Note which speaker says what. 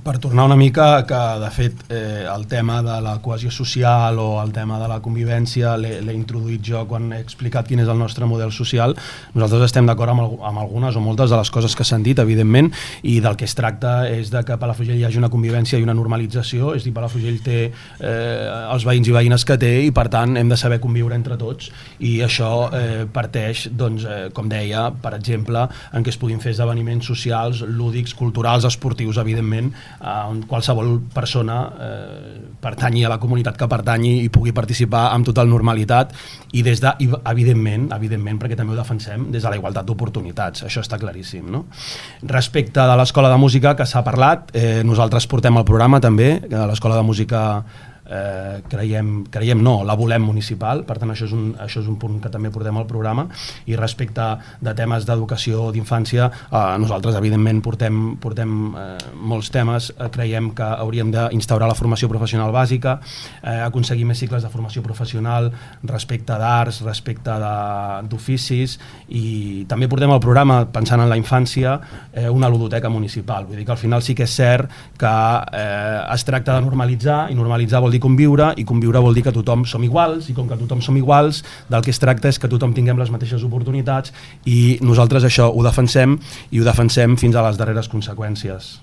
Speaker 1: Per tornar una mica, que de fet el tema de la cohesió social o el tema de la convivència l'he introduït jo quan he explicat quin és el nostre model social. Nosaltres estem d'acord amb algunes o moltes de les coses que s'han dit, evidentment, i del que es tracta és de que a Palafrugell hi hagi una convivència i una normalització. És a dir, Palafrugell té els veïns i veïnes que té i per tant hem de saber conviure entre tots, i això parteix, doncs, com deia, per exemple, en què es puguin fer esdeveniments socials, lúdics, culturals, esportius, evidentment, on qualsevol persona pertanyi a la comunitat que pertanyi i pugui participar amb total normalitat i evidentment, perquè també ho defensem, des de la igualtat d'oportunitats. Això està claríssim, no? Respecte de l'Escola de Música, que s'ha parlat, nosaltres portem el programa també, que l'Escola de Música creiem no, la volem municipal, per tant això és un punt que també portem al programa. I respecte de temes d'educació d'infància, nosaltres evidentment portem molts temes. Creiem que hauríem d'instaurar la formació professional bàsica, aconseguir més cicles de formació professional respecte d'arts, respecte d'oficis, i també portem al programa, pensant en la infància, una ludoteca municipal. Vull dir que al final sí que és cert que es tracta de normalitzar, i normalitzar vol dir conviure, i conviure vol dir que tothom som iguals, i com que tothom som iguals, del que es tracta és que tothom tinguem les mateixes oportunitats, i nosaltres això ho defensem, i ho defensem fins a les darreres conseqüències.